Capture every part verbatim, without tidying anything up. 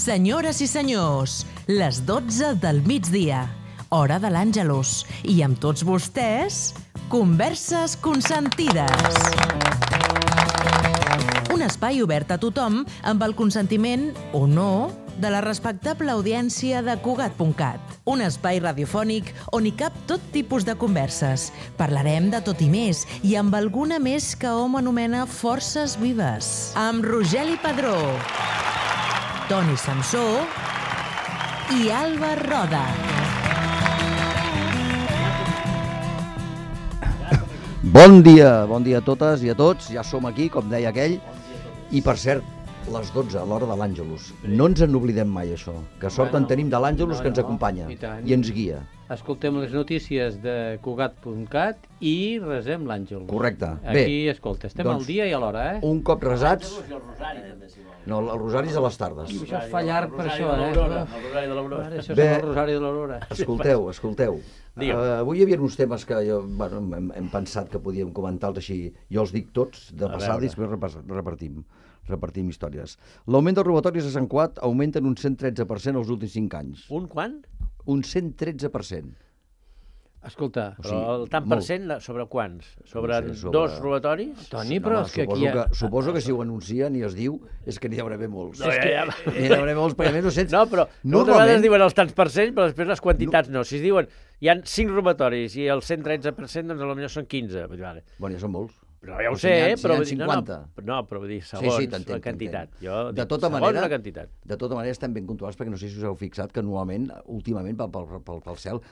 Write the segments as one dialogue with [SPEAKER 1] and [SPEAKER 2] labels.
[SPEAKER 1] Senyores i senyors, les dotze del migdia, hora de l'Àngelus, i amb tots vostès, Converses Consentides. Un espai obert a tothom amb el consentiment, o no, de la respectable audiència de Cugat punt cat. Un espai radiofònic on hi cap tot tipus de converses. Parlarem de tot i més, i amb alguna més que hom anomena forces vives. Amb Rogeli Padró, Toni Samsó i Alba Roda.
[SPEAKER 2] Bon dia, bon dia a totes i a tots. Ja som aquí, com deia aquell. I, per cert, les dotze, a l'hora de l'Àngelus. No ens en oblidem mai, això. Que sort en tenim de l'Àngelus que ens acompanya i ens guia.
[SPEAKER 3] Escoltem les notícies de Cugat punt cat i resem l'Àngel.
[SPEAKER 2] Correcte. Bé.
[SPEAKER 3] Aquí, escolta, estem al dia i a l'hora, eh?
[SPEAKER 2] Un cop resats... No, el rosari és a les tardes.
[SPEAKER 3] Això es fa llarg per això, eh?
[SPEAKER 4] El rosari de l'Aurora.
[SPEAKER 3] Això és el rosari de l'Aurora.
[SPEAKER 2] Escolteu, escolteu. Uh, avui hi havia uns temes que jo, bueno, hem, hem pensat que podíem comentar-los així. Jo els dic tots de passada i després repartim, repartim històries. L'augment dels robatoris a Sant Cugat augmenta en un cent tretze per cent els últims cinc anys.
[SPEAKER 4] Un quant?
[SPEAKER 2] Un cent tretze per cent.
[SPEAKER 3] Escolta,
[SPEAKER 4] o sigui, però el tant per cent sobre quants? Sobre, no sé, sobre... dos robatoris?
[SPEAKER 3] Toni, però no, és que aquí...
[SPEAKER 2] Ha... Que, suposo que si ho anuncien i es diu és que n'hi haurà bé molts.
[SPEAKER 4] No, ja, ja...
[SPEAKER 2] N'hi haurà bé molts, perquè més no sents...
[SPEAKER 4] No, però moltes vegades diuen els tants per cent, però després les quantitats no. no. Si es diuen hi ha cinc robatoris i el cent tretze per cent, doncs potser són quinze. Vale.
[SPEAKER 2] Bueno, ja són molts.
[SPEAKER 4] Però ja ho sé, eh?
[SPEAKER 2] Si
[SPEAKER 4] però...
[SPEAKER 2] cinquanta.
[SPEAKER 4] No, no, no, però vull dir, segons sí, sí, la quantitat. Jo
[SPEAKER 2] de
[SPEAKER 4] dic,
[SPEAKER 2] tota
[SPEAKER 4] segons
[SPEAKER 2] manera,
[SPEAKER 4] la quantitat.
[SPEAKER 2] De tota manera estem ben puntuals, perquè no sé si us heu fixat que normalment, últimament, pel, pel, pel, pel cel...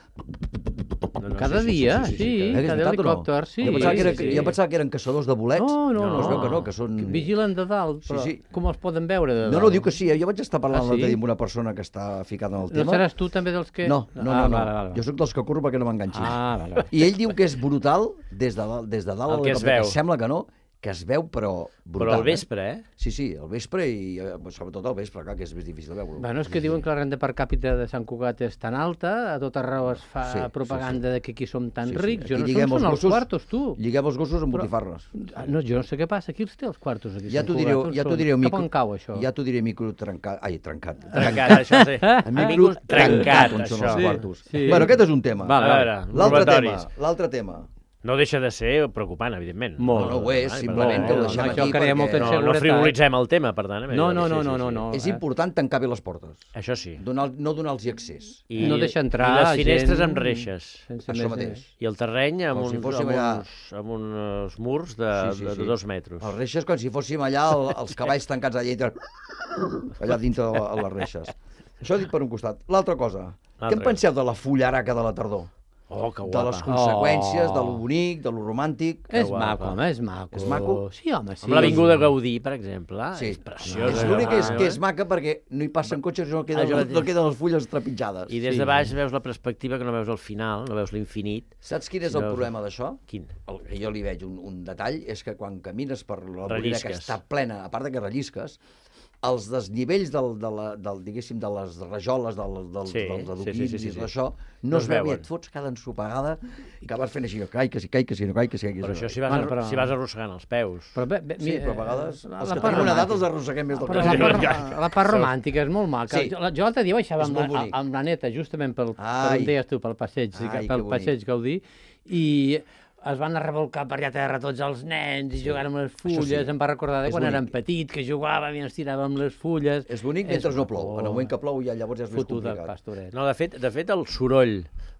[SPEAKER 3] No, no, cada sí, dia, sí, sí, sí, sí, cada helicòpter, sí.
[SPEAKER 2] Jo pensava, que era,
[SPEAKER 3] sí.
[SPEAKER 2] jo pensava que eren caçadors de bolets.
[SPEAKER 3] No, no, no.
[SPEAKER 2] Es veu que no, que són...
[SPEAKER 3] Que vigilen de dalt, però sí, sí. Com els poden veure de dalt?
[SPEAKER 2] No, no, diu que sí, jo vaig estar parlant
[SPEAKER 3] ah, sí?
[SPEAKER 2] amb una persona que està ficada en el tema.
[SPEAKER 3] No seràs tu també dels que...
[SPEAKER 2] No, no, no,
[SPEAKER 3] ah,
[SPEAKER 2] no.
[SPEAKER 3] Vale, vale.
[SPEAKER 2] Jo sóc dels que corro perquè no m'enganxin.
[SPEAKER 3] Ah, vale, vale.
[SPEAKER 2] I ell diu que és brutal des de dalt, des de dalt
[SPEAKER 4] el que es veu.
[SPEAKER 2] Sembla que no, que es veu, però brutal.
[SPEAKER 4] Però al vespre, eh?
[SPEAKER 2] Sí, sí, al vespre i sobretot al vespre, clar, que és més difícil de veure.
[SPEAKER 3] Bueno, és que diuen que la renda per càpita de Sant Cugat és tan alta, a tot arreu es fa sí, propaganda sí, sí. de que aquí som tan sí, sí. rics. Jo no sé on són els quartos, tu.
[SPEAKER 2] Lliguem els gossos amb botifarres.
[SPEAKER 3] No, jo no sé què passa, aquí els té els quartos, aquí
[SPEAKER 2] ja t'ho direu, ja t'ho direu,
[SPEAKER 3] micro... Cap on cau, això?
[SPEAKER 2] Ja t'ho diré micro trencat. Ai, trencat.
[SPEAKER 4] Trencat, això sí.
[SPEAKER 2] Micro trencat, on són els quartos. Bueno, aquest és un tema. L'altre tema, l'altre tema.
[SPEAKER 4] No deixa de ser preocupant, evidentment.
[SPEAKER 2] Molt. No, no ho és, simplement que ho deixem aquí perquè...
[SPEAKER 4] No, no frivolitzem el tema, per tant.
[SPEAKER 3] No, no, no, no, no.
[SPEAKER 2] És important tancar bé les portes.
[SPEAKER 4] Això sí.
[SPEAKER 2] No donar-los accés.
[SPEAKER 3] I no deixar entrar
[SPEAKER 4] gent... I les finestres amb reixes.
[SPEAKER 2] Això mateix.
[SPEAKER 4] I el terreny amb uns murs de dos metres.
[SPEAKER 2] Les reixes com si fóssim allà els cavalls tancats allà dintre, allà dintre de les reixes. Això dit per un costat. L'altra cosa, què en penseu de la fullaraca de la tardor?
[SPEAKER 4] Oh, que guapa.
[SPEAKER 2] De les conseqüències, oh. de lo bonic, de lo romàntic.
[SPEAKER 3] És maco, home, és maco.
[SPEAKER 2] És maco?
[SPEAKER 3] Sí, home, sí.
[SPEAKER 4] Amb l'Avinguda Gaudí, per exemple.
[SPEAKER 2] Sí.
[SPEAKER 4] És preciós.
[SPEAKER 2] És l'únic que, que és maca perquè no hi passen cotxes i no queden, ah, no queden les fulles trepitjades.
[SPEAKER 4] I des de baix veus la perspectiva que no veus el final, no veus l'infinit.
[SPEAKER 2] Saps quin és el problema d'això?
[SPEAKER 4] Quin?
[SPEAKER 2] El que jo li veig un, un detall és que quan camines per la vorera que està plena, a part de que rellisques, els desnivells del, de, la, del, diguéssim, de les rajoles, del, del,
[SPEAKER 4] sí,
[SPEAKER 2] dels adoquins
[SPEAKER 4] sí, sí, sí,
[SPEAKER 2] i
[SPEAKER 4] sí.
[SPEAKER 2] d'això, no, no es veu i et fots cada ensopegada i que vas fent així, cai, que sí, cai, que sí, no cai, que sí.
[SPEAKER 4] Però això si vas, bueno, però... si vas arrossegant els peus.
[SPEAKER 2] Però bé, bé, sí, però a vegades la, els que tenim una edat els arrosseguem més del que...
[SPEAKER 3] La, part, la part romàntica és molt maca. Sí. Jo l'altre dia baixava amb la, amb la neta, justament pel, per on deies tu, pel passeig, Ai, pel passeig Gaudí, i... es van a revolcar per allà a terra tots els nens i sí. jugant amb les fulles. Sí. Em va recordar de quan bonic. Érem petits, que jugàvem i ens tiràvem les fulles.
[SPEAKER 2] És bonic mentre és... no plou. En el moment que plou ja llavors és més complicat.
[SPEAKER 4] No, de fet, de fet el soroll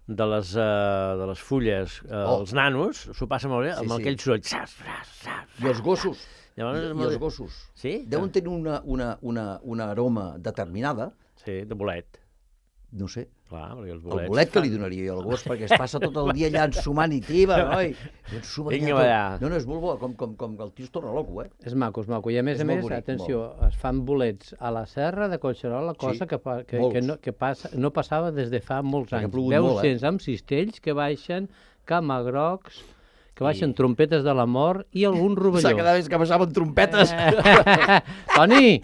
[SPEAKER 4] de les, uh, de les fulles, uh, oh. els nanos, s'ho passa molt bé amb sí, sí. aquell soroll. Sas, sas, sas,
[SPEAKER 2] I els gossos.
[SPEAKER 4] Llavors,
[SPEAKER 2] I, i els gossos.
[SPEAKER 4] Sí?
[SPEAKER 2] Deuen tenir una, una, una, una aroma determinada.
[SPEAKER 4] Sí, de bolet.
[SPEAKER 2] No sé.
[SPEAKER 4] Clar, perquè els bolets...
[SPEAKER 2] El bolet que li donaria jo al gos, perquè es passa tot el dia allà ensumant i tiba, noi.
[SPEAKER 4] Vinga, allà.
[SPEAKER 2] No, no, és molt bo, com, com, com el tio es torna loco, eh?
[SPEAKER 3] És maco, és maco. I a més és a més, bonic, atenció, molt. Es fan bolets a la serra de Collserola, cosa sí, que, que, que, no, que passa, no passava des de fa molts anys. Veus cents eh? Amb cistells que baixen, camagrocs... que baixen trompetes de la mort i algun rovelló.
[SPEAKER 2] Cada vegada que baixaven trompetes.
[SPEAKER 3] Toni!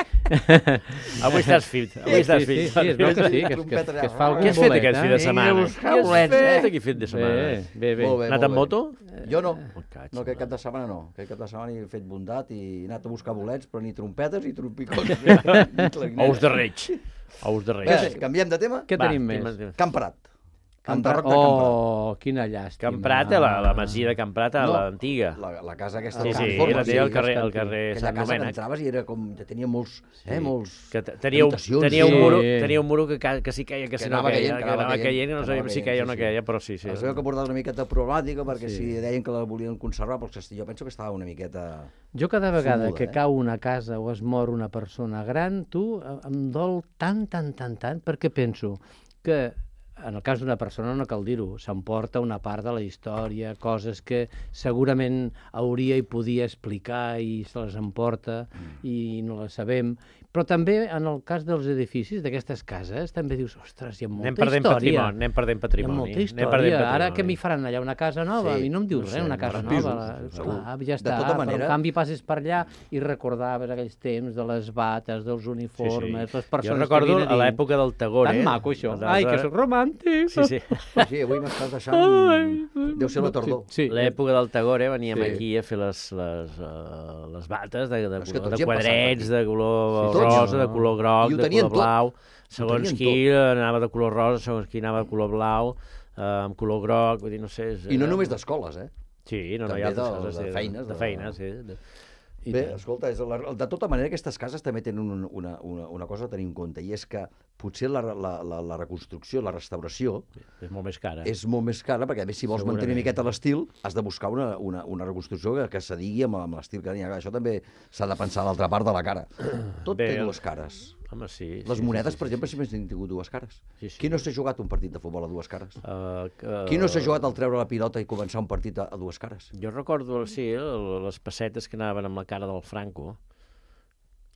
[SPEAKER 4] Avui estàs fit. Avui estàs fit.
[SPEAKER 3] Sí, sí, es veu que sí, que, que, que es fa algun
[SPEAKER 4] bolet. Què has fet aquest fi de setmana?
[SPEAKER 2] Què has
[SPEAKER 4] fet aquest fi de setmana?
[SPEAKER 3] Bé, bé.
[SPEAKER 4] Anat amb moto?
[SPEAKER 2] Jo no. No, aquest cap de setmana no. Aquest cap de setmana he fet bondat i he anat a buscar bolets, però ni trompetes ni trompicons.
[SPEAKER 4] Ous de reig. Ous de Reis.
[SPEAKER 2] Canviem de tema?
[SPEAKER 3] Què tenim més?
[SPEAKER 2] Camp Prat.
[SPEAKER 3] Enderroc de Camprat. Oh, quina llàstima.
[SPEAKER 4] Camprat, la, la masia de Camprat, no, l'antiga.
[SPEAKER 2] La, la casa aquesta...
[SPEAKER 4] Sí, sí, la té al carrer, al carrer Sant Domènec.
[SPEAKER 2] Aquella casa que entraves i era com... Tenia molts... Eh, molts...
[SPEAKER 4] Que tenia, tenia, un muro, tenia un muro que, que sí queia, que, que si no queia, que anava caient, que no sabíem si queia o no queia, però sí, sí.
[SPEAKER 2] Es veu que portava una miqueta problemàtica, perquè si deien que la volien conservar, però jo penso que estava una miqueta...
[SPEAKER 3] Jo cada vegada que cau una casa o es mor una persona gran, tu, em dol tant, tant, tant, tant, perquè penso que en el cas d'una persona no cal dir-ho, s'emporta una part de la història, coses que segurament hauria i podia explicar i se les emporta i no les sabem. Però també, en el cas dels edificis, d'aquestes cases, també dius, ostres, hi ha molta
[SPEAKER 4] anem
[SPEAKER 3] història.
[SPEAKER 4] Patrimoni, anem perdent patrimoni.
[SPEAKER 3] Hi ha molta història. Ara que m'hi faran allà una casa nova? Sí, I no em dius no sé, res, una casa nova. Pisos, clar, ja està.
[SPEAKER 2] De tota manera...
[SPEAKER 3] Però en canvi passes per allà i recordaves aquells temps de les bates, dels uniformes, sí, sí. les persones
[SPEAKER 4] jo recordo
[SPEAKER 3] que
[SPEAKER 4] a l'època del Tagore.
[SPEAKER 3] Tan maco, això. Ai, que soc romàntic.
[SPEAKER 4] Sí, sí.
[SPEAKER 2] Sí, avui m'estàs deixant... Deu ser la tardor.
[SPEAKER 4] Sí, l'època del Tagore veníem sí. aquí a fer les, les, uh, les bates de, de, de, de quadrets, de color sí, rosa, de color groc, de color blau. Segons qui anava de color rosa, segons qui anava de color blau, uh, amb color groc, vull dir, no sé...
[SPEAKER 2] I no només d'escoles, eh?
[SPEAKER 4] Sí, no, no hi ha altres coses. De feines. De feines, sí.
[SPEAKER 2] Bé, escolta, és la, de tota manera aquestes cases també tenen un, una, una, una cosa a tenir en compte, i és que potser la, la, la, la reconstrucció, la restauració...
[SPEAKER 4] És molt més cara.
[SPEAKER 2] És molt més cara, perquè a més si vols mantenir una miqueta l'estil, has de buscar una, una, una reconstrucció que, que s'adigui amb, amb l'estil que n'hi ha. Això també s'ha de pensar a l'altra part de la cara. Tot Bé, té dues cares.
[SPEAKER 4] Home, sí.
[SPEAKER 2] Les
[SPEAKER 4] sí,
[SPEAKER 2] monedes,
[SPEAKER 4] sí, sí,
[SPEAKER 2] per exemple,
[SPEAKER 4] sí.
[SPEAKER 2] sempre han tingut dues cares.
[SPEAKER 4] Sí, sí.
[SPEAKER 2] Qui no s'ha jugat un partit de futbol a dues cares?
[SPEAKER 4] Uh, uh,
[SPEAKER 2] Qui no s'ha jugat al treure la pilota i començar un partit a, a dues cares?
[SPEAKER 4] Jo recordo, sí, les pessetes que anaven amb la cara del Franco.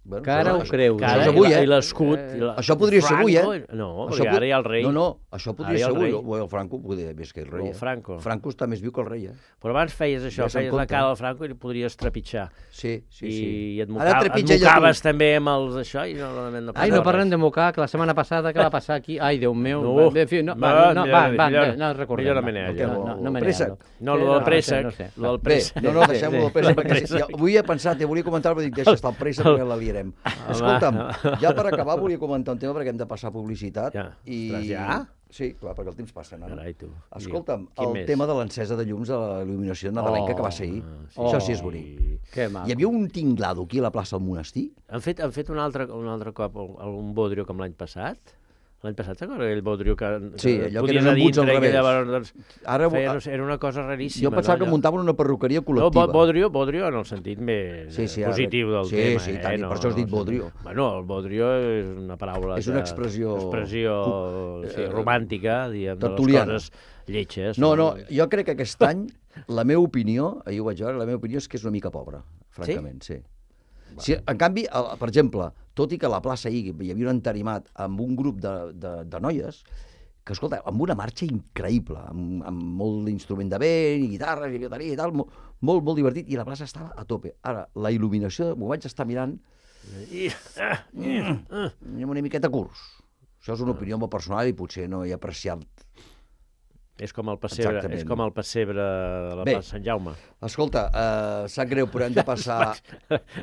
[SPEAKER 3] Bueno, que ara ho creus.
[SPEAKER 2] Cara, això avui, eh?
[SPEAKER 4] I l'escut.
[SPEAKER 2] Eh, això podria ser avui, eh?
[SPEAKER 4] No, perquè ara hi ha el rei.
[SPEAKER 2] No, no, això podria ser avui. El Franco podria més que el rei.
[SPEAKER 4] El Franco.
[SPEAKER 2] Franco està més viu que el rei, eh?
[SPEAKER 4] Però abans feies això, feies la cara del Franco i podries trepitjar.
[SPEAKER 2] Sí, sí, sí.
[SPEAKER 4] I et mocaves també amb els això i no, no
[SPEAKER 3] Ai, no parlem de mocar, que la setmana passada què va passar aquí? Ai, Déu meu. No, no, va, va, no recordem.
[SPEAKER 4] Millor no me n'he
[SPEAKER 3] No me n'he
[SPEAKER 4] No, el del préssec.
[SPEAKER 2] No, no, deixem-ho del préssec, perquè avui he pensat, i volia comentar, però dic, deixa estar el préssec perquè la liarem. Escolta'm, ja per acabar volia comentar un tema perquè hem de passar publicitat.
[SPEAKER 4] Ja?
[SPEAKER 2] I...
[SPEAKER 4] Ostres, ja?
[SPEAKER 2] Sí, clar, perquè el temps passa. No?
[SPEAKER 4] Carai, tu.
[SPEAKER 2] Escolta'm, el més? tema de l'encesa de llums de la il·luminació nadalenca oh, que va ser ahir. Sí. Això sí és bonic.
[SPEAKER 3] Que maco.
[SPEAKER 2] Hi havia un tinglado aquí a la plaça del monestir.
[SPEAKER 4] Han fet, han fet un, altre, un altre cop un bodrio com l'any passat? L'any passat, recorda aquell bodrio que
[SPEAKER 2] sí, allò que eren embuts al revés.
[SPEAKER 4] Llavors, doncs, Ara, feia, no sé, era una cosa raríssima.
[SPEAKER 2] Jo pensava
[SPEAKER 4] no?
[SPEAKER 2] que muntaven una perruqueria col·lectiva.
[SPEAKER 4] No, bodrio, bodrio en el sentit més
[SPEAKER 2] sí, sí,
[SPEAKER 4] positiu del
[SPEAKER 2] sí,
[SPEAKER 4] tema.
[SPEAKER 2] Sí, sí,
[SPEAKER 4] eh?
[SPEAKER 2] tant,
[SPEAKER 4] no,
[SPEAKER 2] per això has dit
[SPEAKER 4] no,
[SPEAKER 2] bodrio.
[SPEAKER 4] Bueno, el bodrio és una paraula...
[SPEAKER 2] És una expressió...
[SPEAKER 4] expressió sí, romàntica, diguem,
[SPEAKER 2] tertuliana.
[SPEAKER 4] De les coses lletges.
[SPEAKER 2] No, no, jo crec que aquest any, la meva opinió, ahir ho vaig veure, la meva opinió és que és una mica pobra, francament, sí. sí. Si, en canvi, per exemple, tot i que a la plaça ahir hi havia un entarimat amb un grup de, de, de noies, que, escolta, amb una marxa increïble, amb, amb molt d'instrument de vent, i guitarres, i bateria i tal, molt, molt, molt divertit, i la plaça estava a tope. Ara, la il·luminació, m'ho vaig estar mirant, i amb una miqueta curs. Això és una opinió molt personal i potser no he apreciat.
[SPEAKER 4] És com el pessebre, Exactament. és com el pessebre de la
[SPEAKER 2] Bé,
[SPEAKER 4] plaça Sant Jaume.
[SPEAKER 2] Escolta, uh, sap greu, però hem de passar...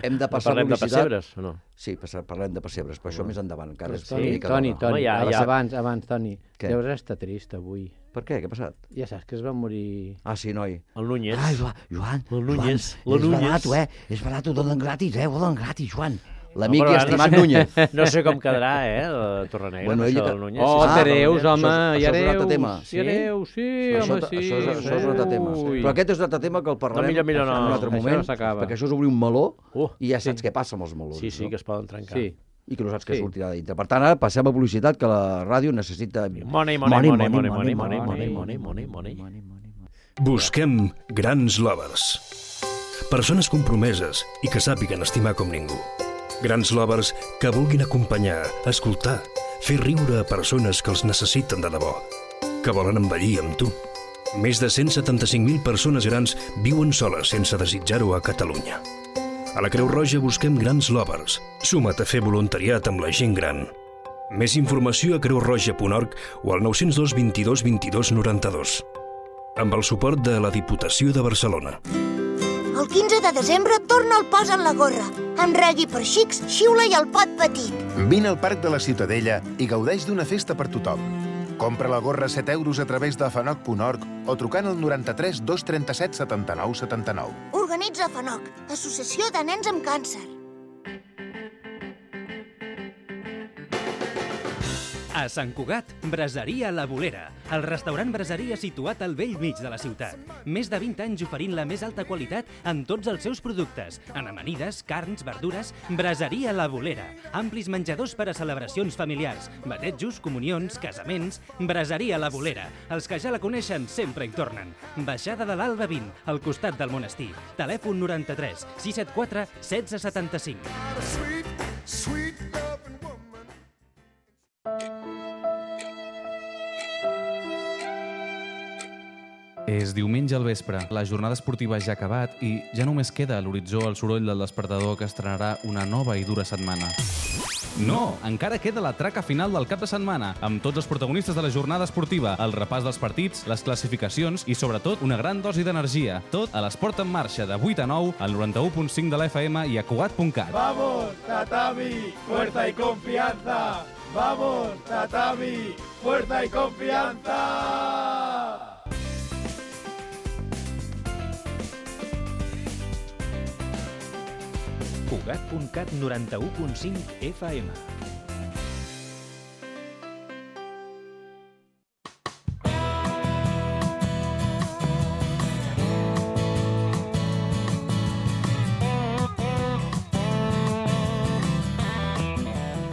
[SPEAKER 2] hem de passar
[SPEAKER 4] parlem
[SPEAKER 2] publicitat.
[SPEAKER 4] de pessebres o no?
[SPEAKER 2] Sí, parlem de pessebres, però això més endavant. Encara
[SPEAKER 3] sí, Toni, Toni, Toni ja, ja. abans, abans, Toni,
[SPEAKER 2] què?
[SPEAKER 3] deus estar trist avui.
[SPEAKER 2] Per què? Què ha passat?
[SPEAKER 3] Ja saps que es va morir...
[SPEAKER 2] Ah, sí, noi.
[SPEAKER 4] El Núñez.
[SPEAKER 2] Ah, Joan, Joan,
[SPEAKER 4] el Núñez.
[SPEAKER 2] Joan, és barat, eh? És barat, ho donen gratis, eh? Ho donen gratis, Joan. L'amic no, i estimat no sé, Núñez.
[SPEAKER 4] No sé com quedarà, eh, la Torrenegra, bueno, això del Núñez.
[SPEAKER 3] Oh,
[SPEAKER 4] sí,
[SPEAKER 3] Tereus, home, i Areus.
[SPEAKER 2] Sí?
[SPEAKER 3] I Areus, sí, home, sí.
[SPEAKER 2] Això, això, això és un altre tema. Però aquest és un altre tema que el parlarem
[SPEAKER 4] no, millor, millor, no,
[SPEAKER 2] en un altre moment,
[SPEAKER 3] no
[SPEAKER 2] perquè això és obrir un meló
[SPEAKER 4] uh,
[SPEAKER 2] i ja saps
[SPEAKER 3] sí.
[SPEAKER 2] què passa amb els melons.
[SPEAKER 4] Sí, sí, no? Que es poden trencar.
[SPEAKER 3] Sí.
[SPEAKER 2] I que no saps què sí. sortirà de dintre. Per tant, ara passem a publicitat, que la ràdio necessita...
[SPEAKER 4] Money, money, money, money, money, money, money, money, money, money.
[SPEAKER 5] Busquem grans lovers. Persones compromeses i que sàpiguen estimar com ningú. Grans lovers que vulguin acompanyar, escoltar, fer riure a persones que els necessiten de debò, que volen envellir amb tu. Més de cent setanta-cinc mil persones grans viuen soles sense desitjar-ho a Catalunya. A la Creu Roja busquem grans lovers. Suma't a fer voluntariat amb la gent gran. Més informació a creu roja punt org o al nou zero dos, vint dos, vint dos, noranta-dos. Amb el suport de la Diputació de Barcelona.
[SPEAKER 6] El quinze de desembre torna el Posa'n la gorra, amb reggae per xics, xiula i el pot petit.
[SPEAKER 7] Vine al Parc de la Ciutadella i gaudeix d'una festa per tothom. Compra la gorra a set euros a través de fanoc punt org o trucant al noranta-tres dos trenta-set setanta-nou setanta-nou.
[SPEAKER 6] Organitza FANOC, Associació de Nens amb Càncer.
[SPEAKER 8] A Sant Cugat, Braseria La Bolera, el restaurant braseria situat al vell mig de la ciutat. Més de vint anys oferint la més alta qualitat en tots els seus productes. En amanides, carns, verdures, Braseria La Bolera. Amplis menjadors per a celebracions familiars, batejos, comunions, casaments. Braseria La Bolera. Els que ja la coneixen sempre hi tornen. Baixada de l'Alba vint, al costat del monestir. Telèfon noranta-tres sis set quatre setze setanta-cinc.
[SPEAKER 9] És diumenge al vespre, la jornada esportiva ja ha acabat i ja només queda a l'horitzó el soroll del despertador que estrenarà una nova i dura setmana. No! Encara queda la traca final del cap de setmana, amb tots els protagonistes de la jornada esportiva, el repàs dels partits, les classificacions i, sobretot, una gran dosi d'energia. Tot a l'Esport en Marxa, de vuit a nou, al noranta-u punt cinc de la F M i a Cugat punt cat.
[SPEAKER 10] Vamos, Tatami, fuerza y confianza! Vamos, Tatami, fuerza y confianza!
[SPEAKER 8] Cugat punt cat noranta-u punt cinc F M.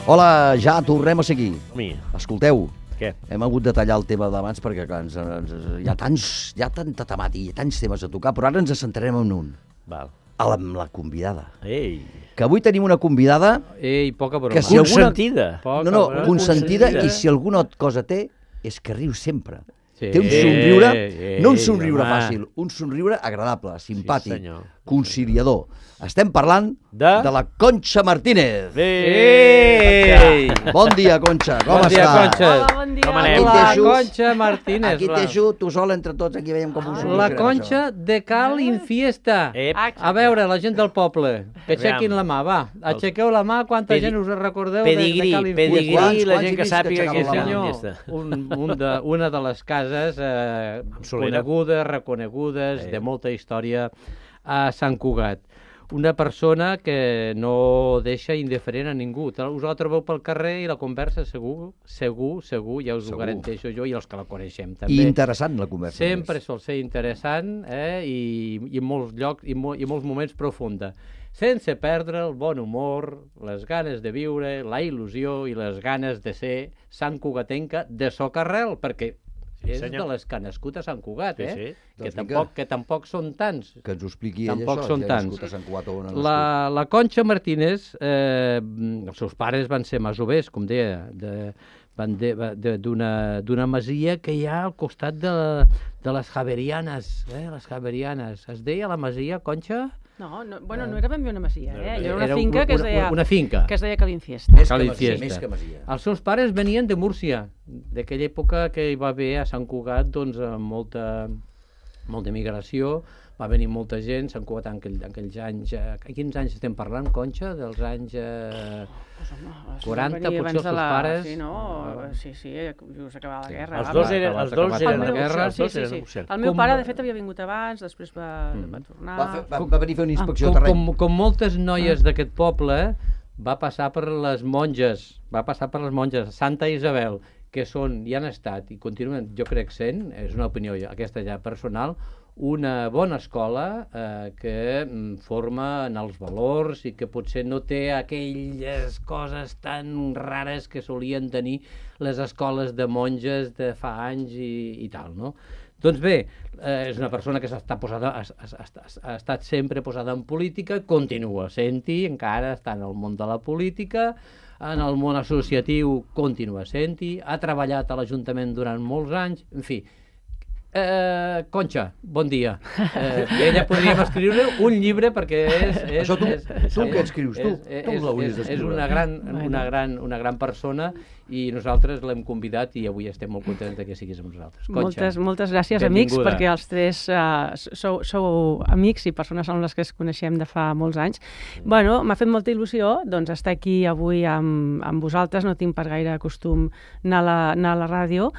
[SPEAKER 2] Hola, ja tornem a seguir.
[SPEAKER 4] Mi.
[SPEAKER 2] Escolteu,
[SPEAKER 4] què?
[SPEAKER 2] Hem hagut de tallar el tema d'abans perquè clar, ens, ens, hi ha tants, hi ha tanta temàtica, hi ha tants temes a tocar, però ara ens centrarem en un.
[SPEAKER 4] Val.
[SPEAKER 2] Amb la convidada.
[SPEAKER 4] Ei.
[SPEAKER 2] Que avui tenim una convidada...
[SPEAKER 3] Ei, poca broma.
[SPEAKER 2] Que si
[SPEAKER 4] consentida.
[SPEAKER 2] Alguna... No, no, consentida, consentida, i si alguna cosa té, és que riu sempre. Sí. Té un somriure, eh, no un somriure home. Fàcil, un somriure agradable, simpàtic, sí, conciliador. Estem parlant de, de la Conxa Martínez.
[SPEAKER 3] Ei!
[SPEAKER 2] Bon dia, Conxa, com
[SPEAKER 3] bon
[SPEAKER 2] està?
[SPEAKER 3] Dia, Conxa.
[SPEAKER 11] Hola, bon dia.
[SPEAKER 3] Com anem? La Conxa Martínez.
[SPEAKER 2] Aquí t'eixo, tu sol entre tots, aquí veiem com us...
[SPEAKER 3] La Conxa de Cal Infiesta. A veure, la gent del poble, que aixequin la mà, va. Aixequeu la mà, quanta gent us recordeu de, de Cal Infiesta.
[SPEAKER 4] Pedigrí, la gent que sàpiga que és Cal
[SPEAKER 3] Infiesta. Un, un de, una de les cases eh, conegudes, reconegudes, de molta història a Sant Cugat. Una persona que no deixa indiferent a ningú. Us la trobeu pel carrer i la conversa segur, segur, segur, ja us segur. Ho garanteixo jo i els que la coneixem també.
[SPEAKER 2] I interessant la conversa.
[SPEAKER 3] Sempre sol ser interessant eh? I, i en molts llocs i, mo, i molts moments profunda. Sense perdre el bon humor, les ganes de viure, la il·lusió i les ganes de ser santcugatenca de socarrel, perquè és sí, de les que ha nascut a Sant Cugat, eh? Sí, sí. Que, tampoc, que tampoc són tants.
[SPEAKER 2] Que ens ho expliqui ell
[SPEAKER 3] tampoc
[SPEAKER 2] això,
[SPEAKER 3] són
[SPEAKER 2] ja
[SPEAKER 3] tants.
[SPEAKER 2] nascut a Sant Cugat o on ha nascut.
[SPEAKER 3] La, la Conxa Martínez, eh, els seus pares van ser masovers, com deia, de, van d'una masia que hi ha al costat de, de les Javerianes, eh? Les Javerianes. Es deia la masia, Conxa?
[SPEAKER 11] No, no, bueno, no era ben bé una masia, eh? Era una
[SPEAKER 3] era
[SPEAKER 11] finca
[SPEAKER 3] una,
[SPEAKER 11] que es deia...
[SPEAKER 3] Una finca.
[SPEAKER 11] Que es deia Cal Infiesta.
[SPEAKER 2] Més que masia, més que masia.
[SPEAKER 3] Els seus pares venien de Múrcia, d'aquella època que hi va haver a Sant Cugat, doncs, molta, molta migració, va venir molta gent, Sant Cugat en, aquell, en aquells anys... A quins anys estem parlant, Conxa? Dels anys... Eh, quaranta, potser els seus
[SPEAKER 11] la...
[SPEAKER 3] pares...
[SPEAKER 11] Sí, no? Sí, sí, just acabava la guerra.
[SPEAKER 4] Els dos eren, els dos eren
[SPEAKER 11] de
[SPEAKER 4] guerra.
[SPEAKER 11] Sí, sí, sí. sí. El meu com... pare, de fet, havia vingut abans, després va, mm. va tornar...
[SPEAKER 2] Va, fer, va, va venir a fer una inspecció
[SPEAKER 3] ah,
[SPEAKER 2] de terreny.
[SPEAKER 3] Com, com, com moltes noies d'aquest poble, va passar per les monges, va passar per les monges, Santa Isabel, que són, i han estat, i continuen, jo crec sent, és una opinió aquesta ja personal, una bona escola eh, que forma en els valors i que potser no té aquelles coses tan rares que solien tenir les escoles de monges de fa anys i, i tal, no? Doncs bé, eh, és una persona que està posada, ha, ha, ha, ha estat sempre posada en política, continua sent-hi, encara està en el món de la política, en el món associatiu continua sent-hi, ha treballat a l'Ajuntament durant molts anys, en fi, Eh, Conxa, bon dia. Eh, ella podríem escriure un llibre perquè és... és
[SPEAKER 2] Això tu,
[SPEAKER 3] és,
[SPEAKER 2] tu què escrius? Tu,
[SPEAKER 3] és,
[SPEAKER 2] tu l'hauries
[SPEAKER 3] d'escriure. És
[SPEAKER 2] d'escriure.
[SPEAKER 3] una gran, una, gran, una gran persona i nosaltres l'hem convidat i avui estem molt contents que siguis amb nosaltres. Conxa,
[SPEAKER 11] moltes, moltes gràcies,
[SPEAKER 3] benvinguda.
[SPEAKER 11] amics, perquè els tres uh, sou, sou amics i persones amb les que es coneixem de fa molts anys. Mm. Bueno, m'ha fet molta il·lusió doncs, estar aquí avui amb, amb vosaltres. No tinc per gaire costum anar a la, anar a la ràdio,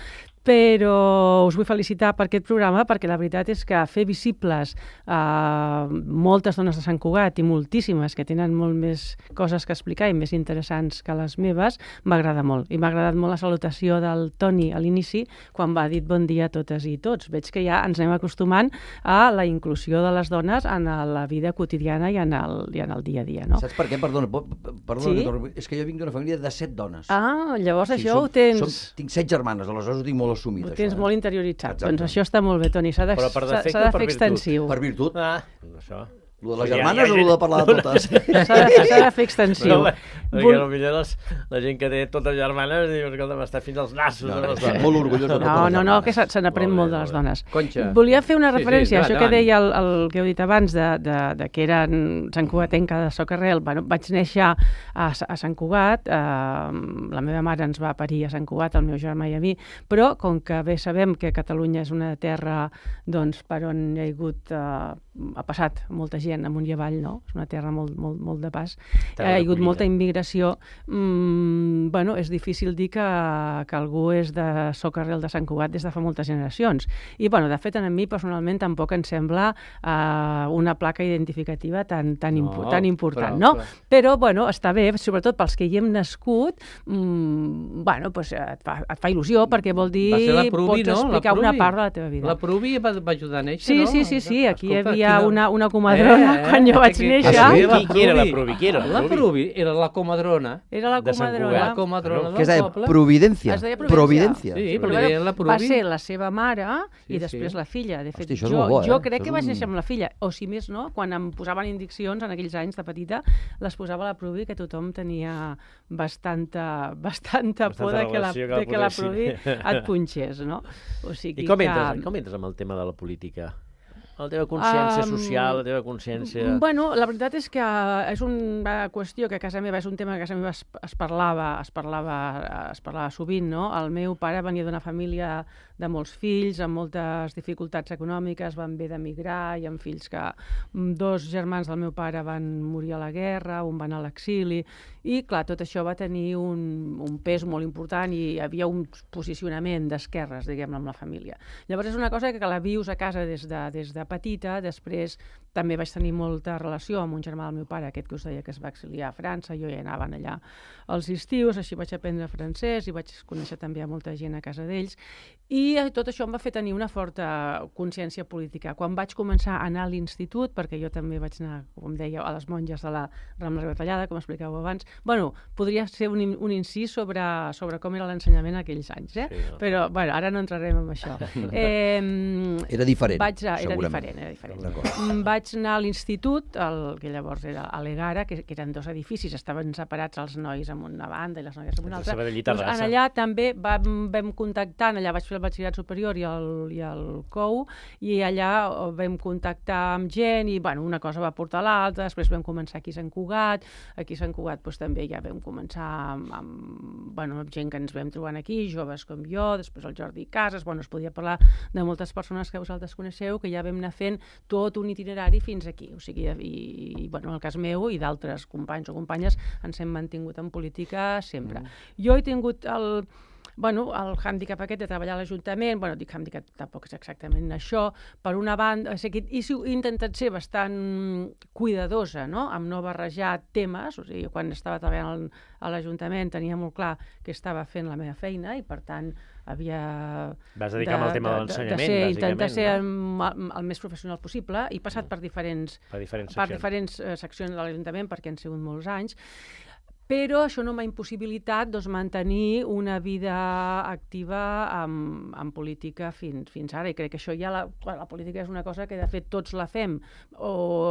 [SPEAKER 11] però us vull felicitar per aquest programa perquè la veritat és que fer visibles uh, moltes dones de Sant Cugat i moltíssimes que tenen molt més coses que explicar i més interessants que les meves m'agrada molt. I m'ha agradat molt la salutació del Toni a l'inici quan va dir bon dia a totes i tots. Veig que ja ens anem acostumant a la inclusió de les dones en la vida quotidiana i en el, i en el dia a dia. No?
[SPEAKER 2] Saps per què? Perdona, perdona
[SPEAKER 11] sí?
[SPEAKER 2] que és que jo vinc d'una família de set dones.
[SPEAKER 11] Ah, llavors
[SPEAKER 2] sí,
[SPEAKER 11] això
[SPEAKER 2] som,
[SPEAKER 11] ho tens...
[SPEAKER 2] Som, tinc set germanes, aleshores ho tinc molt assumit.
[SPEAKER 11] Ho
[SPEAKER 2] això,
[SPEAKER 11] tens
[SPEAKER 2] eh?
[SPEAKER 11] molt interioritzat.
[SPEAKER 2] Exacte.
[SPEAKER 11] Doncs això està molt bé, Toni. S'ha de,
[SPEAKER 4] Però per defecte
[SPEAKER 11] s'ha de
[SPEAKER 4] o per
[SPEAKER 11] fer
[SPEAKER 4] virtut?
[SPEAKER 11] extensiu.
[SPEAKER 2] Per virtut.
[SPEAKER 4] Ah, això...
[SPEAKER 2] Lo de les germanes o lo de parlar de totes?
[SPEAKER 11] S'ha de, s'ha de fer extensiu.
[SPEAKER 4] No, perquè potser les, la gent que té totes germanes diu, escolta, m'està fins als nassos.
[SPEAKER 2] No,
[SPEAKER 4] de les dones.
[SPEAKER 2] molt orgullós de totes
[SPEAKER 11] No,
[SPEAKER 2] les
[SPEAKER 11] no, no,
[SPEAKER 2] germanes.
[SPEAKER 11] que se, se n'aprèn molt de les dones.
[SPEAKER 3] Conxa.
[SPEAKER 11] Volia fer una
[SPEAKER 3] Sí, sí,
[SPEAKER 11] referència a
[SPEAKER 3] endavant,
[SPEAKER 11] això que
[SPEAKER 3] endavant.
[SPEAKER 11] deia el, el que heu dit abans de, de, de que eren Sant Cugatenca de Socarrel. Bueno, vaig néixer a, a Sant Cugat, eh, la meva mare ens va parir a Sant Cugat, el meu germà i a mi, però com que bé sabem que Catalunya és una terra doncs, per on hi ha hagut, eh, ha passat molta gent amunt i avall, no? És una terra molt, molt, molt de pas. Hi ha hagut molta immigració. Mm, bueno, és difícil dir que, que algú és de Socarrel de Sant Cugat des de fa moltes generacions. I, bueno, de fet, a mi personalment tampoc em sembla uh, una placa identificativa tan, tan, impo
[SPEAKER 3] No,
[SPEAKER 11] tan important,
[SPEAKER 3] però,
[SPEAKER 11] no?
[SPEAKER 3] però...
[SPEAKER 11] Però, bueno, està bé, sobretot pels que hi hem nascut, mm, bueno, pues, et, fa, et fa il·lusió perquè vol dir
[SPEAKER 3] Va ser la Pruvi,
[SPEAKER 11] pots
[SPEAKER 3] no?
[SPEAKER 11] explicar
[SPEAKER 3] La
[SPEAKER 11] una
[SPEAKER 3] Pruvi.
[SPEAKER 11] part de la teva vida.
[SPEAKER 3] La Pruvi va, va ajudar a néixer,
[SPEAKER 11] Sí,
[SPEAKER 3] no?
[SPEAKER 11] sí, sí, sí, aquí hi
[SPEAKER 3] Escolta,
[SPEAKER 11] havia
[SPEAKER 3] quina-
[SPEAKER 11] una, una comadrona
[SPEAKER 3] Eh, eh,
[SPEAKER 11] quan jo vaig
[SPEAKER 3] aquí-
[SPEAKER 11] néixer.
[SPEAKER 2] Ah, sí?
[SPEAKER 4] Qui, qui era la Pruvi? Qui era
[SPEAKER 3] La Pruvi era la comadrona.
[SPEAKER 11] Era la
[SPEAKER 4] de Sant
[SPEAKER 11] comadrona.
[SPEAKER 4] Cugat.
[SPEAKER 3] La comadrona
[SPEAKER 2] Què es
[SPEAKER 3] del
[SPEAKER 2] deia?
[SPEAKER 3] poble.
[SPEAKER 2] Providència.
[SPEAKER 11] Es deia
[SPEAKER 2] Providència.
[SPEAKER 3] Sí,
[SPEAKER 11] Però
[SPEAKER 3] però
[SPEAKER 11] bueno,
[SPEAKER 3] deien la
[SPEAKER 11] va
[SPEAKER 3] Pruvi.
[SPEAKER 11] ser la seva mare
[SPEAKER 3] Sí,
[SPEAKER 11] i després
[SPEAKER 3] sí.
[SPEAKER 11] la filla. De fet,
[SPEAKER 2] Hosti, això és
[SPEAKER 11] jo,
[SPEAKER 2] molt bo, eh?
[SPEAKER 11] jo crec
[SPEAKER 2] Això
[SPEAKER 11] que
[SPEAKER 2] és
[SPEAKER 11] vaig
[SPEAKER 2] un-
[SPEAKER 11] néixer amb la filla. O si més no, quan em posaven indiccions en aquells anys de petita, les posava a la Pruvi, que tothom tenia bastanta, bastanta por de que la,
[SPEAKER 4] relació que la
[SPEAKER 11] de que la
[SPEAKER 4] posessin.
[SPEAKER 11] Pruvi et punxés, no? O sigui
[SPEAKER 4] I com
[SPEAKER 11] que...
[SPEAKER 4] entres, com entres amb el tema de la política? La teva consciència
[SPEAKER 11] Um,
[SPEAKER 4] social, la teva consciència...
[SPEAKER 11] Bueno, la veritat és que és una qüestió que a casa meva, és un tema que a casa meva es, es parlava, es parlava, es parlava sovint, no? El meu pare venia d'una família de molts fills, amb moltes dificultats econòmiques, van haver d'emigrar, i amb fills que dos germans del meu pare van morir a la guerra, un va anar a l'exili, i clar, tot això va tenir un, un pes molt important i hi havia un posicionament d'esquerres, diguem-ne, amb la família. Llavors és una cosa que la vius a casa des de, des de petita. Després també vaig tenir molta relació amb un germà del meu pare, aquest que us deia que es va exiliar a França, jo ja anava allà als estius, així vaig aprendre francès i vaig conèixer també a molta gent a casa d'ells, i tot això em va fer tenir una forta consciència política. Quan vaig començar a anar a l'institut, perquè jo també vaig anar, com deia, a les monges de la Rambla Retallada, com explicàveu abans, bueno, podria ser un, un incís sobre, sobre com era l'ensenyament aquells anys, eh? Sí, no. Però, bueno, ara no entrarem en això. Eh,
[SPEAKER 2] era diferent,
[SPEAKER 11] vaig a, era
[SPEAKER 2] segurament.
[SPEAKER 11] diferent, era diferent. Vaig anar a l'institut, el que llavors era a l'Egara, que, que eren dos edificis, estaven separats els nois amb una banda i les noies amb una altra. Doncs en allà també vam, vam contactar, allà vaig fer el batxillerat superior i el, i el C O U, i allà vam contactar amb gent i, bueno, una cosa va portar a l'altra. Després vam començar aquí a Sant Cugat, aquí a Sant Cugat doncs, també ja vam començar amb, amb, bueno, amb gent que ens vam trobant aquí, joves com jo, després el Jordi Casas, bueno, es podia parlar de moltes persones que vosaltres coneixeu, que ja vam anar fent tot un itinerari fins aquí. O sigui, i, i bueno, en el cas meu i d'altres companys o companyes ens hem mantingut en política sempre. Mm. Jo he tingut el... Bueno, el hàndicap aquest de treballar a l'Ajuntament, bueno, dic hàndicap, tampoc és exactament això, per una banda, he intentat ser bastant cuidadosa, no?, amb no barrejar temes, o sigui, quan estava treballant a l'Ajuntament tenia molt clar que estava fent la meva feina i, per tant, havia...
[SPEAKER 4] Vas dedicar al tema de l'ensenyament, bàsicament.
[SPEAKER 11] Intentar ser el, el més professional possible i passat per diferents,
[SPEAKER 4] per diferents
[SPEAKER 11] per diferents uh, seccions de l'Ajuntament, perquè han sigut molts anys. però això no m'ha impossibilitat doncs, mantenir una vida activa en, en política fins, fins ara, i crec que això ja la, la política és una cosa que de fet tots la fem, o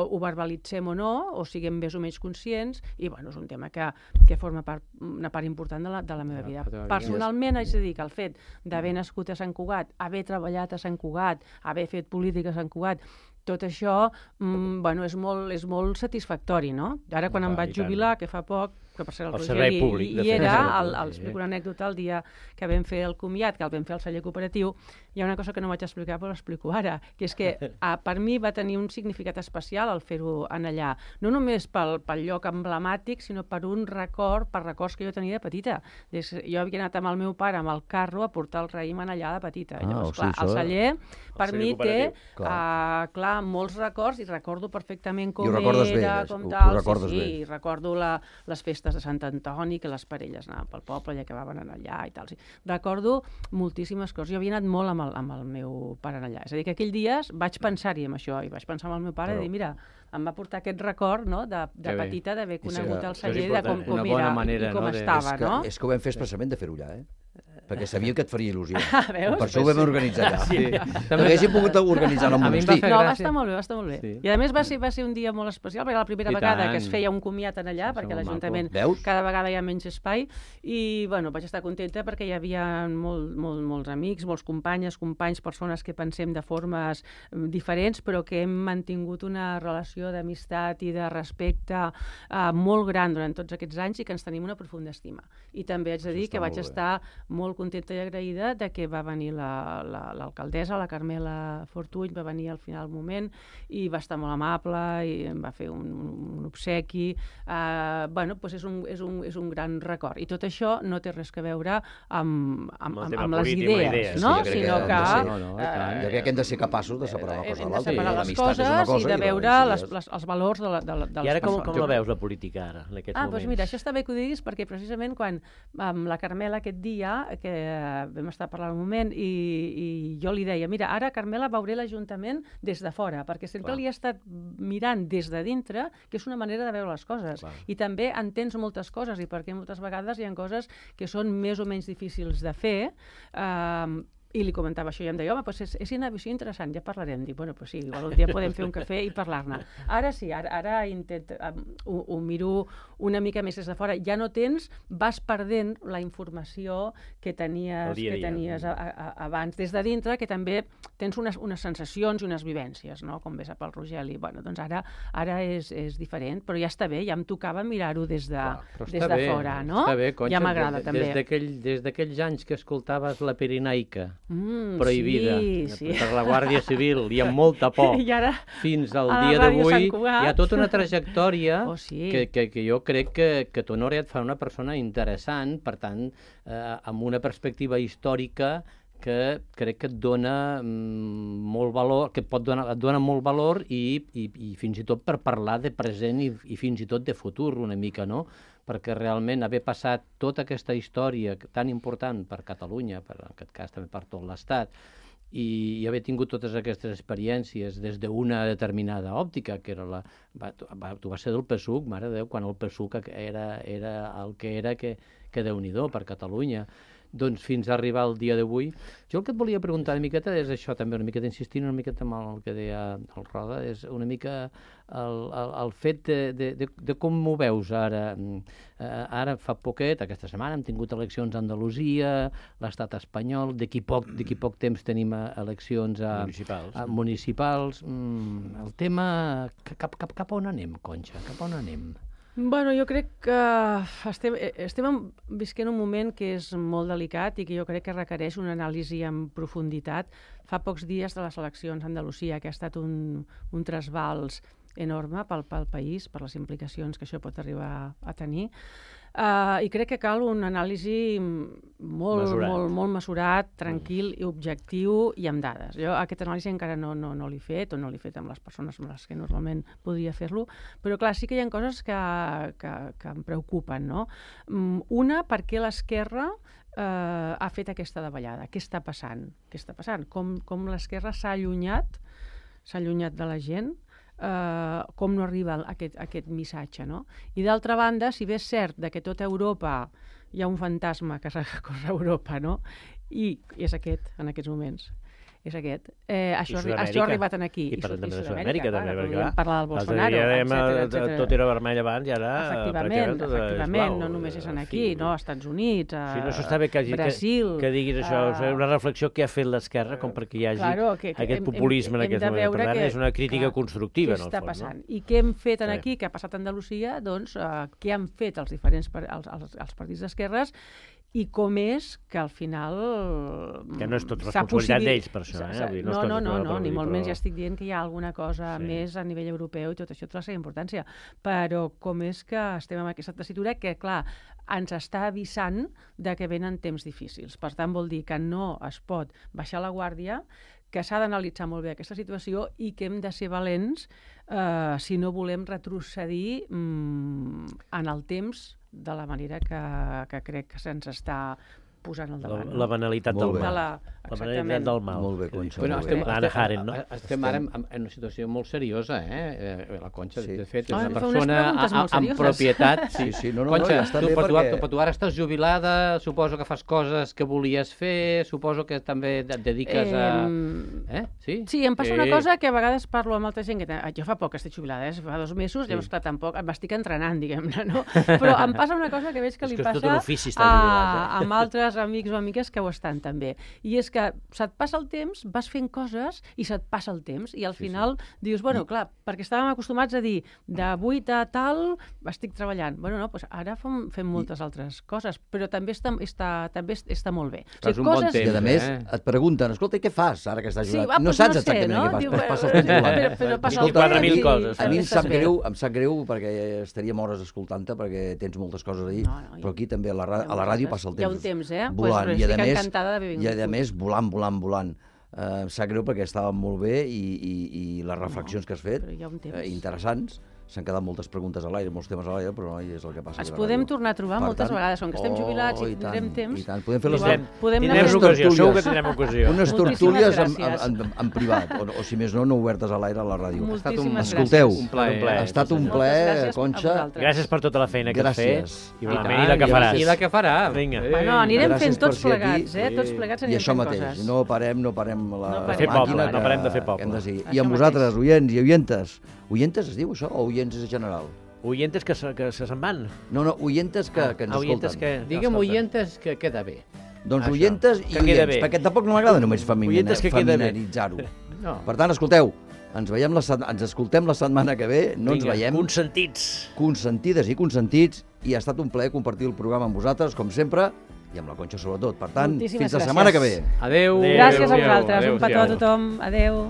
[SPEAKER 11] ho verbalitzem o no, o siguem més o menys conscients, i bueno, és un tema que, que forma part, una part important de la, de la meva vida. Personalment, haig de dir que el fet d'haver nascut a Sant Cugat, haver treballat a Sant Cugat, haver fet política a Sant Cugat, tot això mm, bueno, és, molt, és molt satisfactori, no? Ara, quan em vaig jubilar, que fa poc, que per ser el Roger hi, hi era, el, el, explico una anècdota el dia que vam fer el comiat, que el vam fer al celler cooperatiu, hi ha una cosa que no vaig explicar, però l'explico ara, que és que a, per mi va tenir un significat especial el fer-ho en allà, no només pel, pel lloc emblemàtic, sinó per un record, per records que jo tenia de petita. Des, jo havia anat amb el meu pare amb el carro a portar el raïm en allà de petita. Ah, llavors, clar, el celler, per el mi, té clar. Uh, clar, molts records, i recordo perfectament com era, bé, com tal, sí, sí, i recordo la, les festes de Sant Antoni, que les parelles anaven pel poble i acabaven allà i tal. Sí. Recordo moltíssimes coses. Jo havia anat molt amb el, amb el meu pare allà. És a dir, que aquell dies vaig pensar-hi en això, i vaig pensar amb el meu pare i dir, mira, em va portar aquest record, no?, de, de petita, d'haver conegut el celler, de com, com era manera, i com no? estava,
[SPEAKER 2] és que,
[SPEAKER 11] no?
[SPEAKER 2] És que ho vam fer expressament de fer-ho allà, eh? Perquè sabia que et faria il·lusió.
[SPEAKER 11] Ah, veus?
[SPEAKER 2] Per això ho vam organitzar allà. Sí. També haguéssim pogut organitzar al monestir.
[SPEAKER 11] No, va estar molt bé, va estar molt bé. Sí. I a més va ser, va ser un dia molt especial, perquè era la primera I vegada tant. que es feia un comiat en allà, perquè l'Ajuntament cada vegada hi ha menys espai, i bueno, vaig estar contenta perquè hi havia molt, molt, molts amics, molts companyes, companys, persones que pensem de formes diferents, però que hem mantingut una relació d'amistat i de respecte eh, molt gran durant tots aquests anys, i que ens tenim una profunda estima. I també haig de dir que vaig estar molt contenta i agraïda de que va venir l'alcaldessa, la, la, la Carmela Fortuny, va venir al final del moment i va estar molt amable i em va fer un, un obsequi. Uh, bueno, doncs és un, és, un, és un gran record. I tot això no té res a veure amb, amb, amb, amb les idees, idees, no?
[SPEAKER 2] Sí,
[SPEAKER 11] sinó que...
[SPEAKER 2] Ser, no, no, uh, jo crec que hem de ser capaços de separar una cosa de l'altra.
[SPEAKER 11] Hem de separar les coses cosa, i de veure i les, les, els valors de, la, de, de les
[SPEAKER 4] I ara com,
[SPEAKER 11] persones.
[SPEAKER 4] com la veus, la política, ara, en aquests
[SPEAKER 11] ah,
[SPEAKER 4] moments?
[SPEAKER 11] Doncs mira, això està bé que ho diguis, perquè precisament quan amb la Carmela aquest dia, que vam estar parlant un moment, i, i jo li deia, mira, ara, Carmela, veuré l'Ajuntament des de fora, perquè sempre Clar. li he estat mirant des de dintre, que és una manera de veure les coses. Clar. I també entens moltes coses, i perquè moltes vegades hi ha coses que són més o menys difícils de fer, eh, i li comentava això i em deia, home, doncs és, és interessant, ja parlarem. Dic, bueno, doncs sí, igual un dia podem fer un cafè i parlar-ne. Ara sí, ara, ara intent, um, ho, ho miro una mica més des de fora. Ja no tens, vas perdent la informació que tenies, dia, que tenies a, a, abans des de dintre, que també tens unes, unes sensacions i unes vivències, no?, com ves a pel Rogeli. Bueno, doncs ara, ara és, és diferent, però ja està bé, ja em tocava mirar-ho des de, Clar, des de bé, fora, no?
[SPEAKER 3] Bé, Conxa,
[SPEAKER 11] ja m'agrada, també.
[SPEAKER 3] Des d'aquells anys que escoltaves la Pirinaica,
[SPEAKER 11] Mm,
[SPEAKER 3] prohibida
[SPEAKER 11] sí, sí.
[SPEAKER 3] per la Guàrdia Civil i amb molta por
[SPEAKER 11] ara,
[SPEAKER 3] fins al dia d'avui hi ha tota una trajectòria oh, sí. que, que, que jo crec que, que t'honora et fa una persona interessant, per tant eh, amb una perspectiva històrica que crec que et dona mm, molt valor, que pot donar, et dona molt valor i, i, i fins i tot per parlar de present i, i fins i tot de futur una mica, no? Perquè realment haver passat tota aquesta història tan important per Catalunya, per, en aquest cas també per tot l'Estat, i, i haver tingut totes aquestes experiències des d'una determinada òptica, que era la... Va, va, tu vas ser del P S U C, mare de Déu, quan el P S U C era, era el que era, que, que Déu-n'hi-do per Catalunya. Doncs fins a arribar al dia d'avui. Jo el que et volia preguntar una miqueta és això, també una miqueta insistint una miqueta amb el que deia el Roda, és una mica el, el, el fet de, de, de, de com m'ho veus ara. Ara fa poquet, aquesta setmana, hem tingut eleccions a Andalusia, l'estat espanyol, d'aquí poc, d'aquí poc temps tenim eleccions a
[SPEAKER 4] municipals.
[SPEAKER 3] A municipals. El tema, cap, cap, cap on anem, Conxa? Cap on anem?
[SPEAKER 11] Bueno, jo crec que estem, estem visquent un moment que és molt delicat i que jo crec que requereix una anàlisi en profunditat. Fa pocs dies de les eleccions a Andalusia, que ha estat un, un trasbals enorme pel, pel país, per les implicacions que això pot arribar a tenir. Uh, I crec que cal una anàlisi molt mesurat, molt, molt mesurat, tranquil i objectiu i amb dades. Jo aquesta anàlisi encara no, no, no l'he fet, o no l'he fet amb les persones amb les que normalment podria fer-lo, però clar, sí que hi ha coses que, que, que em preocupen, no? Una, per què l'esquerra eh, ha fet aquesta davallada? Què està passant? Què està passant? Com, com l'esquerra s'ha allunyat, s'ha allunyat de la gent, eh, com no arriba aquest, aquest missatge, no? I d'altra banda, si bé és cert que tota Europa hi ha un fantasma que recorre a Europa, no? I, i és aquest, en aquests moments. És aquest. Eh, això, això ha arribat aquí.
[SPEAKER 4] I parlem també de Sud-amèrica, també, perquè clar.
[SPEAKER 11] Parlar del Bolsonaro, etcètera, etcètera.
[SPEAKER 4] Tot era vermell abans i ara...
[SPEAKER 11] Efectivament, efectivament, no només és aquí, no? Als Estats Units, a
[SPEAKER 4] sí, no s'està bé que,
[SPEAKER 11] Brasil...
[SPEAKER 4] Que, que diguis això, uh, una reflexió que ha fet l'esquerra com perquè hi hagi
[SPEAKER 11] claro, que, que
[SPEAKER 4] aquest
[SPEAKER 11] hem,
[SPEAKER 4] populisme
[SPEAKER 11] hem,
[SPEAKER 4] en aquest moment. Per tant,
[SPEAKER 11] que,
[SPEAKER 4] és una crítica
[SPEAKER 11] clar,
[SPEAKER 4] constructiva, en el
[SPEAKER 11] fons. Què està
[SPEAKER 4] fons,
[SPEAKER 11] passant?
[SPEAKER 4] No?
[SPEAKER 11] I què hem fet en aquí, què ha passat a Andalusia, doncs, uh, què han fet els diferents els, els, els partits d'esquerres i com és que al final...
[SPEAKER 4] Que no és tot responsabilitat d'ells, per això. Eh? Vull dir,
[SPEAKER 11] no, no, no, no, ni molt menys. Ja estic dient que hi ha alguna cosa sí. més a nivell europeu i tot això té la seva importància. Però com és que estem en aquesta tessitura que, clar, ens està avisant de que venen temps difícils. Per tant, vol dir que no es pot baixar la guàrdia, que s'ha d'analitzar molt bé aquesta situació i que hem de ser valents eh, si no volem retrocedir mm, en el temps de la manera que, que crec que se'ns està posant al davant.
[SPEAKER 4] La, la banalitat del mal. La, la banalitat del mal.
[SPEAKER 2] Molt bé, Conxa.
[SPEAKER 3] Bueno,
[SPEAKER 2] molt
[SPEAKER 3] estem,
[SPEAKER 2] bé.
[SPEAKER 3] estem, Haren, no? estem, estem ara en, en una situació molt seriosa, eh? La Conxa, sí. de fet, és una ah, persona amb propietat.
[SPEAKER 2] Sí, sí, no, no,
[SPEAKER 3] Conxa,
[SPEAKER 2] no, ja està
[SPEAKER 3] tu,
[SPEAKER 2] bé
[SPEAKER 3] però,
[SPEAKER 2] perquè...
[SPEAKER 3] tu, tu ara estàs jubilada, suposo que fas coses que volies fer, suposo que també et dediques a...
[SPEAKER 11] Eh, eh? Sí? Sí, em passa sí. una cosa que a vegades parlo amb altra gent, que jo fa poc que estic jubilada, eh? Fa dos mesos, sí. llavors clar, tampoc m'estic entrenant, diguem-ne, no? Però em passa una cosa que veig que li
[SPEAKER 4] que
[SPEAKER 11] passa
[SPEAKER 4] a,
[SPEAKER 11] eh? amb altres amics o amigues que ho estan també. I és que se't passa el temps, vas fent coses i se't passa el temps i al final sí, sí. dius, bueno, clar, perquè estàvem acostumats a dir de vuit a tal estic treballant. Bueno, no, doncs ara fem, fem moltes I... altres coses, però també està, està, també està molt bé.
[SPEAKER 2] O sigui, coses... bon temps, I a més eh? et pregunten, escolta, què fas ara que estàs jubilat? Sí, va, no saps no sé, exactament no? què fas, Diu, passa el temps volant. Però, però passa escolta,
[SPEAKER 4] quatre mil coses.
[SPEAKER 2] A mi em sap greu, em sap greu perquè estaríem hores escoltant-te perquè tens moltes coses a dir, no, no, però aquí també a la, a la ràdio passa el temps.
[SPEAKER 11] Hi ha un temps, eh?
[SPEAKER 2] Volant,
[SPEAKER 11] pues,
[SPEAKER 2] i a més,
[SPEAKER 11] encantada d'haver vingut.
[SPEAKER 2] I a més, volant, volant, volant. Uh, em sap greu perquè estàvem molt bé i, i, i les reflexions no, que has fet, uh, interessants. S'han quedat moltes preguntes a l'aire, molts temes a l'aire, però no, és el que passa.
[SPEAKER 11] Ens podem tornar a trobar per moltes tant, vegades, com que estem jubilats oh, i, i tindrem temps.
[SPEAKER 2] I tant, podem fer les...
[SPEAKER 11] Podem
[SPEAKER 4] tindrem ocasió, segur que tindrem ocasió.
[SPEAKER 2] Unes tertúlies en, en, en, en privat, o, o si més no, no obertes a l'aire a la ràdio.
[SPEAKER 11] Moltíssimes
[SPEAKER 2] Escolteu,
[SPEAKER 11] gràcies.
[SPEAKER 4] Un plaer.
[SPEAKER 2] Ha estat un plaer, Conxa.
[SPEAKER 4] Gràcies per tota la feina que has fet.
[SPEAKER 2] I
[SPEAKER 4] I la que faràs.
[SPEAKER 3] I la que farà.
[SPEAKER 4] Vinga.
[SPEAKER 11] Bueno, anirem fent tots plegats, eh? Tots plegats anirem fent coses.
[SPEAKER 2] I això mateix, no parem, no parem la
[SPEAKER 4] màquina. No parem de fer poble.
[SPEAKER 2] I amb vosaltres, oients i oientes. Oientes es diu això o oients és general?
[SPEAKER 4] Oientes que se, que se se'n van.
[SPEAKER 2] No, no, oientes que, que ens escolten.
[SPEAKER 3] Que, Digue'm oientes que queda bé.
[SPEAKER 2] Doncs Això, oientes i oients, perquè tampoc no m'agrada només feminaritzar-ho. No. Per tant, escolteu, ens veiem la, ens escoltem la setmana que ve, no Vinga, ens veiem.
[SPEAKER 4] Consentits.
[SPEAKER 2] Consentides i consentits, i ha estat un plaer compartir el programa amb vosaltres, com sempre, i amb la Conxa sobretot. Per tant,
[SPEAKER 11] Moltíssimes
[SPEAKER 2] fins la
[SPEAKER 11] gràcies.
[SPEAKER 2] setmana que ve.
[SPEAKER 3] Adéu.
[SPEAKER 11] Gràcies a vosaltres, un petó a tothom. Adéu.